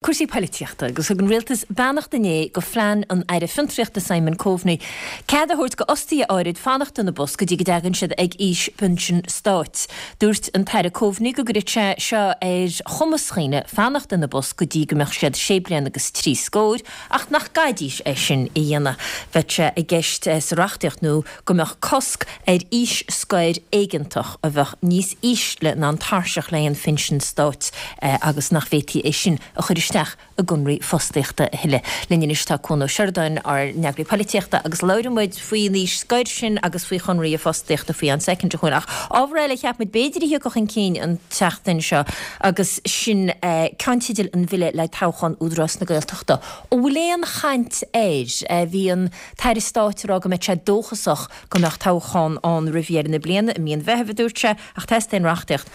Cúrsaí poilitíochta agus thug an Rialtas beannacht inné go phlean an Aire Fiontraíochta Simon Coveney cead a thabhairt go fhostaithe áirid fanacht ina bpost go dtí go dtagann siad ag aois pinsin stáit. Dúirt an tAire Coveney go gcuirfeadh sé seo ar chumas dhaoine fanacht ina bpost go dtí go mbeadh siad sé bliana agus trí scóir ach nach gcaithfidís é sin a dhéanamh. Bheadh sé i gceist sa reachtaíocht nua go mbeadh cosc ar aois scoir éigeantach a bheadh níos ísle ná an tairseach le haghaidh an phinsin stáit agus nach bhféadfaí é sin a chur isteach i gconraí fostaíochta a thuilleadh. Linn anois tá Cuan Ó Seireadáin, ár n-eagraí polaitíochta, agus labhróidh muid faoin aois scoir sin agus faoi chonraí fostaíochta faoi cheann soicind, a Chuain. Ach ábhar eile a cheap muid b'fhéidir a thiocfadh chun cinn an tseachtain seo agus sin ceannteidil an bhille le toghchán Údarás na Gaeltachta. An bhfuil aon chaint air? Bhí an tAire Stáit ag rá go mbeadh sé dóchasach go mbeadh toghchán ann roimh dheireadh na bliana, i mí an Mheithimh a dúirt sé, ach teastaíonn reachtaíocht.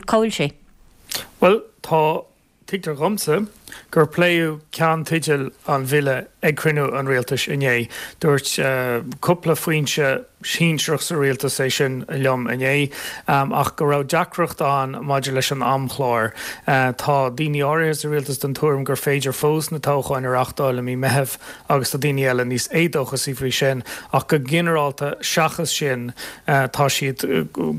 Cá bhfuil sé? Bhuel, tá. Tuigtear dhomsa gur pléadh ceannteidil an bhille ag cruinniú an rialtais inné. Dúirt cúpla foinse shinsearach sa rialtas é sin liom inné, ach go raibh deacracht ann maidir leis an amchlár. Tá daoine áirithe sa rialtas den tuairim gur féidir fós na toghcháin a reáchtáil i mí Meithimh agus tá daoine eile níos éadóchasaí faoi sin, ach go ginearálta, seachas sin, tá siad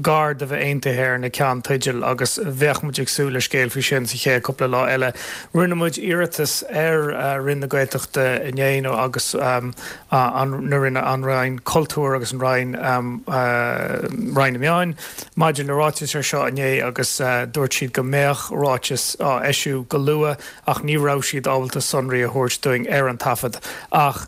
gar do bheith aontaithe ar na ceannteidil agus bheadh muid ag súil le scéal faoi sin sa chéad cúpla lá eile. Rinne muid iarratas ar Roinn na Gaeltachta inné nó agus an na Roinne, an Roinn Cultúir agus an Roinn, Roinn na Meáin maidir le ráiteas ar seo inné agus dúirt siad go mbeadh ráiteas á eisiú go luath. ach ní raibh siad ábalta sonraí a thabhairt dúinn ar an taifead. Ach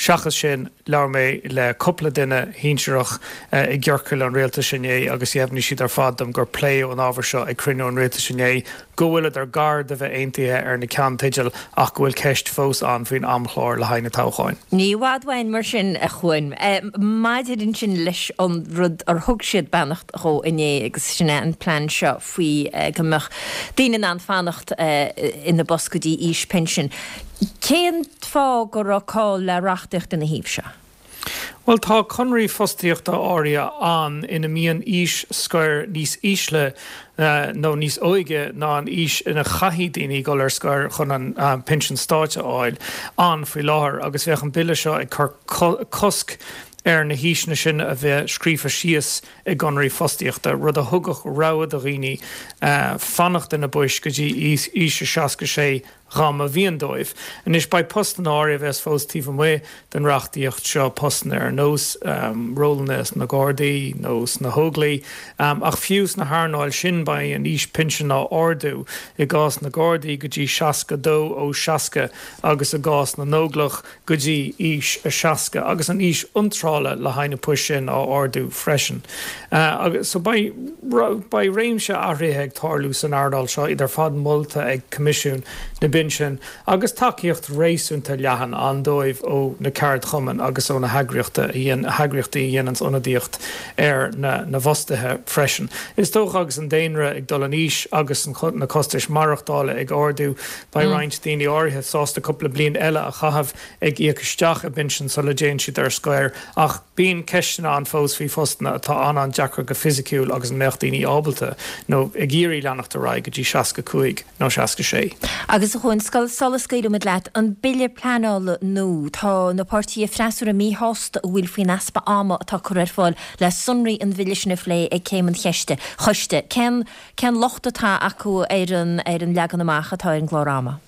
seachas sin, labhair mé le cúpla duine shinsearach i gciorcail an rialtais inné agus dheimhnigh siad ar fad dom gur pléadh an ábhar seo ag cruinniú an rialtais inné, go bhfuileadar gar do bheith aontaithe ar na ceannteidil ach go bhfuil ceist fós ann faoin amchlár le haghaidh na toghcháin. Ní i bhfad uainn mar sin, a Chuain. Maidir ansin leis an rud ar thug siad beannacht dhó inné agus sin é an plean seo faoi go mbeadh daoine in ann fanacht ina bpost go dtí aois pinsin. Cén fáth go raibh call le reachtaíocht ina thaobh seo? Bhuel, tá conraí fostaíochta áirithe ann ina mbíonn aois scoir níos ísle nó níos óige ná an aois ina chaithfidh daoine dul ar scor chun an pinsean stáit a fháil ann faoi láthair agus bheadh an bille seo ag cur cosc ar na haoiseanna sin a bheith scríofa síos i gconraí fostaíochta, rud a thugadh rogha do dhaoine fanacht ina bpoist go dtí aois a 66 dá mba mhian dóibh. Anois, beidh postanna áirithe a bheas fós taobh amuigh den reachtaíocht seo, postanna ar nós rólanna sna Gardaí nó sna hÓglaigh, ach fiú sna hearnáil sin beidh an aois pinsin á ardú, i gcás na Gardaí go dtí 62 ó 60 agus i gcás na nÓglach go dtí aois a 60 agus an aois iontrála le haghaidh na poist sin á ardú freisin. Agus so beidh beidh réimse athruithe ag tarlú san earnáil seo, iad ar fad molta ag Coimisiún na bPinsean agus tacaíocht réasúnta leathan ann dóibh ó na ceardchumainn agus ó na heagraíochta a heagraíochtaí a dhéananns ionadaíocht ar na na bhfostaithe freisin. Is dócha agus an daonra ag dul in aois agus na costais maireachtála ag ardú, Beidh roinnt daoine áirithe sásta cúpla bliain eile a chaitheamh ag íoc isteach i bpinsean sula dtéann siad ar scoir, ach bíonn ceisteanna ann fós faoi phostanna atá an-an-deacair go fisiciúil agus an mbeadh daoine ábalta nó ag iarraidh leanacht ar aghaidh go dtí 65 nó 66. Agus a Chuain, sula scaoilfimid leat, an bille pleanála nua, tá na páirtithe freasúra míshásta an bhfuil faoin easpa ama atá curtha ar fáil le sonraí an bhille sin a phlé ag céim an cheiste, choiste. Cén. Cén locht atá acu ar an ar an leagan amach atá ar an gclár ama?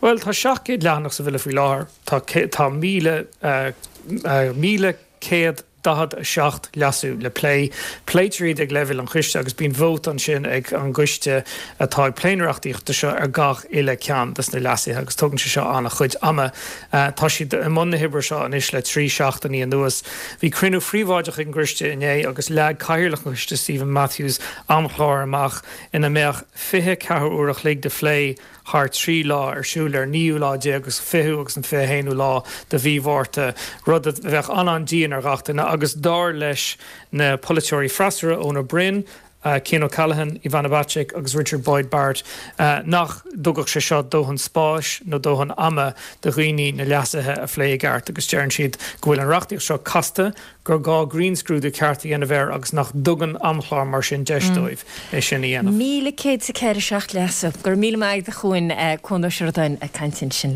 Bhuel, tá 700 leathanach sa bhille faoi láthair. Tá tá 1,147 leasú le plé. Pléitear iad ag leibhéal an choiste agus bíonn vóta ansin ag an gcoiste atá ag plé na reachtaíochta seo ar gach uile ceann des na leasuithe agus tógann sé seo an-chuid ama. Tá siad i mbun na hoibre seo anois le 3 seachtainí anuas. Bhí cruinniú phríobháideach ag an gcoiste inné agus leag cathaoirleach an choiste Steven Matthews amchlár amach ina mbeadh 24 uair a chloig de phlé thar 3 lá ar siúl ar naoú lá déag agus 20ú agus an 21ú lá de mhí Mhárta, rud a bheadh an-an-dian ar ghach duine agus dar leis na polaiteoirí freasúra, Eoin Ó Broin. Cian O'Callaghan, Ivana Bacik agus Richard Boyd Barrett nach dtugfadh sé seo dóthain spáis nó dóthain ama do dhaoine na leasuithe a phlé i gceart agus deireann siad go bhfuil an reachtaíocht seo casta, gur gá grinnscrúdú ceart a dhéanamh air agus nach dtugann amchlár mar sin deis dóibh é sin a dhéanamh. 1,104 seacht leasú. Go raibh míle maith agat a Chuain, Cuan Ó Seireadáin ag caint ansin linn.